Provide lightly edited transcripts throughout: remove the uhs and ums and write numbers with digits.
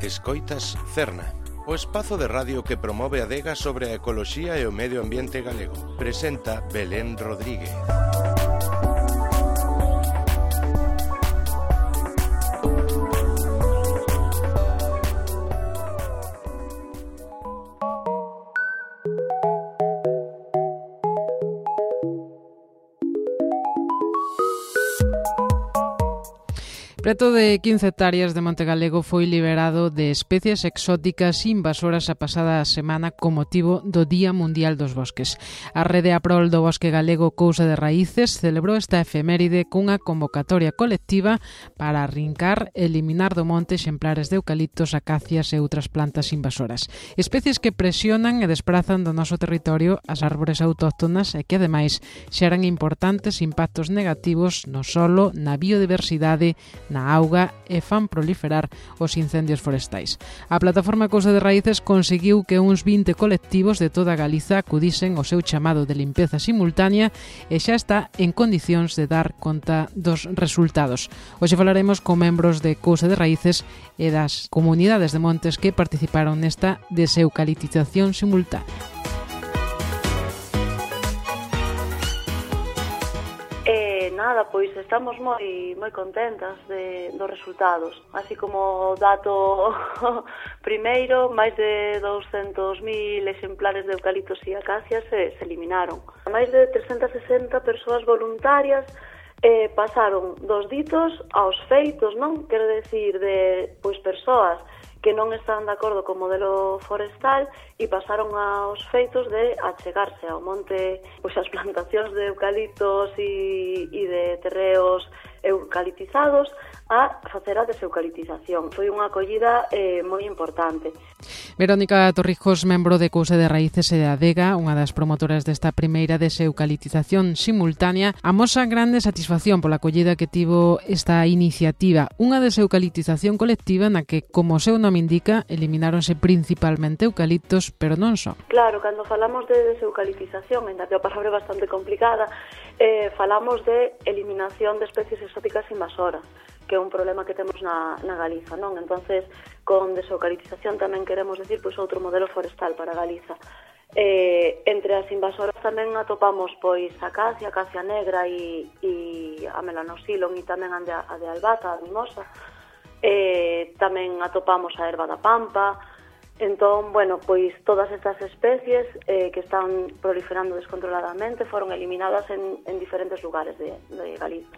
Escoitas Cerna, o espazo de radio que promove a adega sobre a ecoloxía e o medio ambiente galego. Presenta Belén Rodríguez. Preto de 15 hectáreas de Monte Galego foi liberado de especies exóticas invasoras a pasada semana con motivo do Día Mundial dos Bosques. A Rede a Prol do Bosque Galego Cousa de Raíces celebrou esta efeméride cunha convocatoria colectiva para arrincar e eliminar do monte exemplares de eucaliptos, acacias e outras plantas invasoras. Especies que presionan e desprazan do noso territorio as árbores autóctonas e que, ademais, xeran importantes impactos negativos no solo, na biodiversidade, na auga e fan proliferar os incendios forestais. A plataforma Cousa de Raíces conseguiu que uns 20 colectivos de toda Galiza acudisen ao seu chamado de limpeza simultánea e xa está en condicións de dar conta dos resultados. Hoxe falaremos con membros de Cousa de Raíces e das comunidades de montes que participaron nesta deseucaliptización simultánea. Nada, pois estamos moi contentas dos resultados. Así como dato primeiro, máis de 200.000 exemplares de eucaliptos e acacias se eliminaron. Máis de 360 persoas voluntarias pasaron dos ditos aos feitos, non? Quero decir, de persoas que non están de acordo co modelo forestal e pasaron aos feitos de achegarse ao monte, as plantacións de eucaliptos e de terreos eucaliptizados a facer a deseucaliptización. Foi unha acollida moi importante. Verónica Torrijos, membro de Cousa de Raíces e de Adega, unha das promotoras desta primeira deseucaliptización simultánea, amosa grande satisfacción pola acollida que tivo esta iniciativa, unha deseucaliptización colectiva na que, como o seu nome indica, elimináronse principalmente eucaliptos, pero non só. Claro, cando falamos de deseucaliptización, ainda que a palabra é bastante complicada, falamos de eliminación de especies exóticas invasoras, que é un problema que temos na Galiza, non? Entonces, con deseucaliptización tamén queremos decir outro modelo forestal para Galiza. Entre as invasoras tamén atopamos a acacia negra e a melanoxylon e tamén a de albata, a mimosa. Tamén atopamos a erva da pampa. Entón, todas estas especies que están proliferando descontroladamente foron eliminadas en diferentes lugares de Galiza.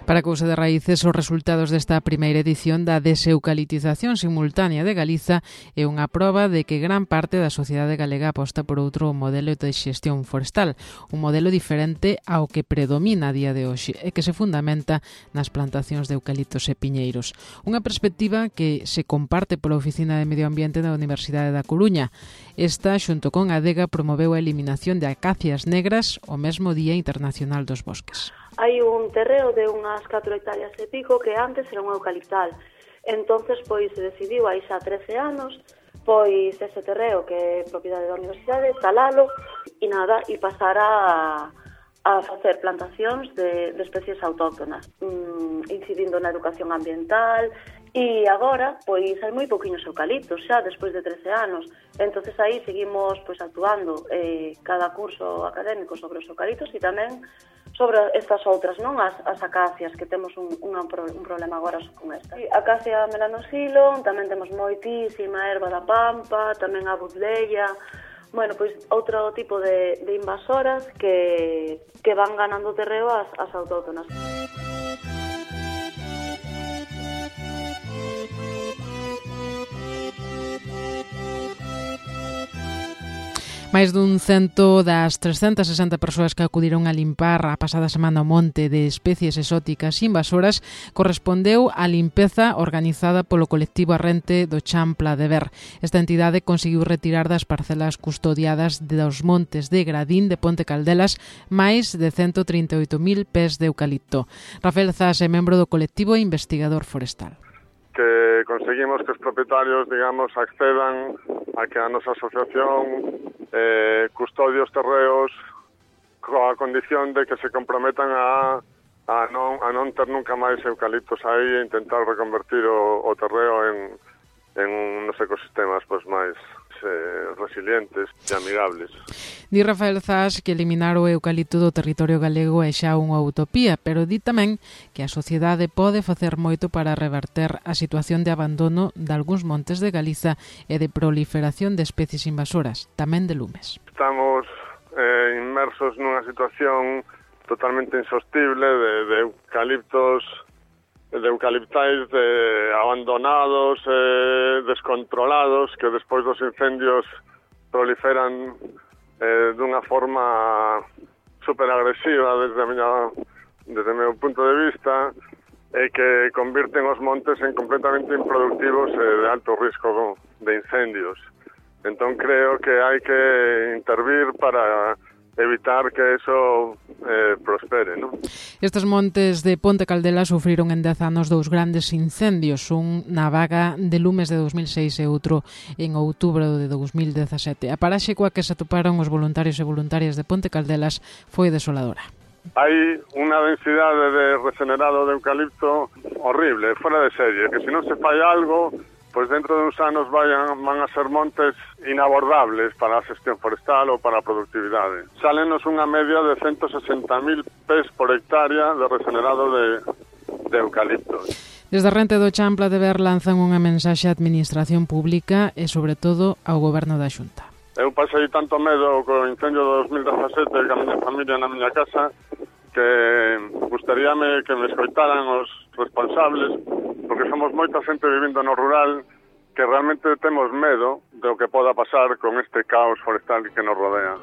Para Cousa de Raíces, os resultados desta primeira edición da deseucaliptización simultánea de Galiza é unha proba de que gran parte da sociedade galega aposta por outro modelo de xestión forestal, un modelo diferente ao que predomina a día de hoxe e que se fundamenta nas plantacións de eucaliptos e piñeiros. Unha perspectiva que se comparte pola Oficina de Medio Ambiente da Universidade da Coruña. Esta, xunto con a Adega, promoveu a eliminación de acacias negras o mesmo Día Internacional dos Bosques. Hai un terreo de unhas 4 hectáreas e pico que antes era un eucaliptal. Entonces, se decidiu aí xa 13 anos, ese terreo que é propiedade da universidade, talalo e pasar a facer plantacións de especies autóctonas, incidindo na educación ambiental. E agora, hai moi poquinhos eucaliptos xa, despois de 13 anos. Entonces aí seguimos actuando cada curso académico sobre os eucaliptos e tamén sobre estas outras, non? As acacias, que temos un problema agora con esta. Acacia melanoxylon, tamén temos moitísima erva da pampa, tamén a budleia. Outro tipo de invasoras que van ganando terreo as autóctonas. Máis dun 100 das 360 persoas que acudiron a limpar a pasada semana o monte de especies exóticas invasoras correspondeu á limpeza organizada polo colectivo arrente do Chan Pla de Ver. Esta entidade conseguiu retirar das parcelas custodiadas dos montes de Gradín de Ponte Caldelas máis de 138.000 pés de eucalipto. Rafael Zas é membro do colectivo e investigador forestal. que conseguimos que os propietarios, digamos, accedan a que a nosa asociación custodie os terreos coa condición de que se comprometan a non ter nunca máis eucaliptos aí e intentar reconvertir o terreo en uns ecosistemas pois máis resilientes e amigables. Di Rafael Zas que eliminar o eucalipto do territorio galego é xa unha utopía, pero di tamén que a sociedade pode facer moito para reverter a situación de abandono de algúns montes de Galiza e de proliferación de especies invasoras, tamén de lumes. Estamos inmersos nunha situación totalmente insostible de eucaliptos, de eucaliptais abandonados, descontrolados, que despois dos incendios proliferan dunha forma superagresiva desde o meu punto de vista, e que convirten os montes en completamente improductivos e de alto risco de incendios. Entón creo que hai que intervir para evitar que eso prospere, ¿no? Estes montes de Ponte Caldela sufriron en 10 anos 2 grandes incendios, un na vaga de lumes de 2006 e outro en outubro de 2017. A paraxe coa que se atoparon os voluntarios e voluntarias de Ponte Caldelas foi desoladora. Hai unha densidade de regenerado de eucalipto horrible, fora de serie, que se non se fai algo, pois dentro de uns anos van a ser montes inabordables para a xestión forestal ou para a productividade. Sálenos unha media de 160.000 pés por hectárea de regenerado de eucaliptos. Desde a Rente do Champla de Ver lanzan unha mensaxe á administración pública e, sobre todo, ao goberno da Xunta. Eu pasei tanto medo co incendio de 2017 que a miña familia na miña casa que gustaríame que me escoitaran os responsables, porque somos moita xente vivindo no rural que realmente temos medo do que poda pasar con este caos forestal que nos rodea.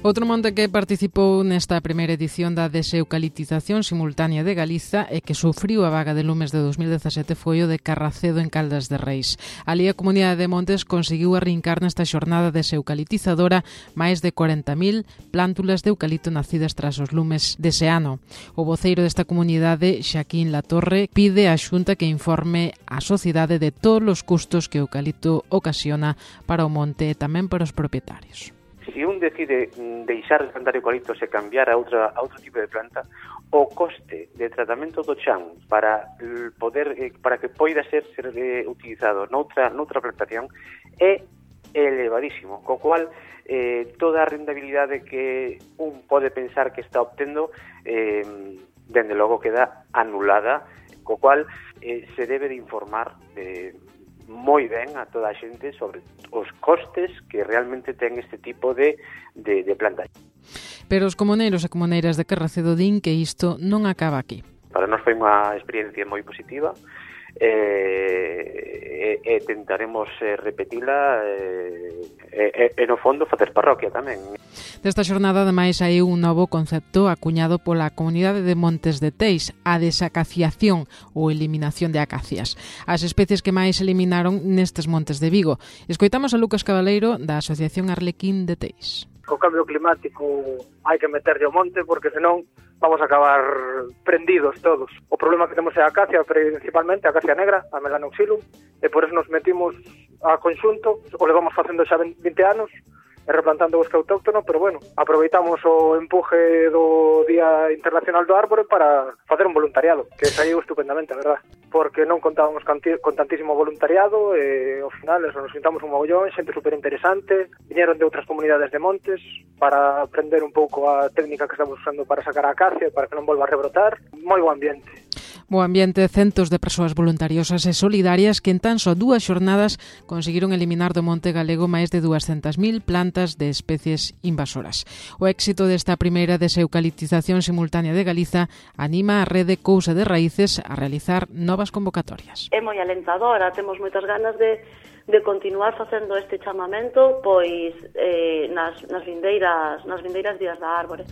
Outro monte que participou nesta primeira edición da deseucaliptización simultánea de Galiza e que sufriu a vaga de lumes de 2017 foi o de Carracedo en Caldas de Reis. Ali a Comunidade de Montes conseguiu arrincar nesta xornada deseucaliptizadora máis de 40.000 plántulas de eucalipto nacidas tras os lumes dese ano. O voceiro desta comunidade, Xaquín Latorre, pide á Xunta que informe á sociedade de todos os custos que o eucalipto ocasiona para o monte e tamén para os propietarios. Se un decide deixar de plantar eucaliptos e cambiar a outro tipo de planta, o coste de tratamento do chan para que poida ser utilizado noutra plantación é elevadísimo, co cual toda a rentabilidade que un pode pensar que está obtendo dende logo queda anulada, co cual se debe de informar moi ben a toda a xente sobre os costes que realmente ten este tipo de planta. Pero os comuneiros e comuneiras de Carracedo din que isto non acaba aquí. Para nós foi unha experiencia moi positiva e tentaremos repetila e no fondo facer parroquia tamén. Desta xornada, ademais, hai un novo concepto acuñado pola Comunidade de Montes de Teis, a desacaciación ou eliminación de acacias, as especies que máis eliminaron nestes montes de Vigo. Escoitamos a Lucas Cabaleiro da Asociación Arlequín de Teis. Co cambio climático hai que meterlle ao monte porque senón vamos a acabar prendidos todos. O problema que temos é a acacia, principalmente a acacia negra, a Melanoxylum, e por eso nos metimos a conxunto, o levamos facendo xa 20 anos, e replantando o bosque autóctono, pero bueno, aproveitamos o empuje do Día Internacional do Árbore para facer un voluntariado, que saiu estupendamente, a verdad, porque non contábamos con tantísimo voluntariado e ao final eso, nos juntamos un mogollón, xente superinteresante, viñeron de outras comunidades de montes para aprender un pouco a técnica que estamos usando para sacar a acacia para que non volva a rebrotar, moi bo ambiente. Bo ambiente, centos de persoas voluntariosas e solidarias que en tan só 2 xornadas conseguiron eliminar do monte galego máis de 200.000 plantas de especies invasoras. O éxito desta primeira deseucaliptización simultánea de Galiza anima a rede Cousa de Raíces a realizar novas convocatorias. É moi alentadora, temos moitas ganas de continuar facendo este chamamento pois nas vindeiras días da árbore.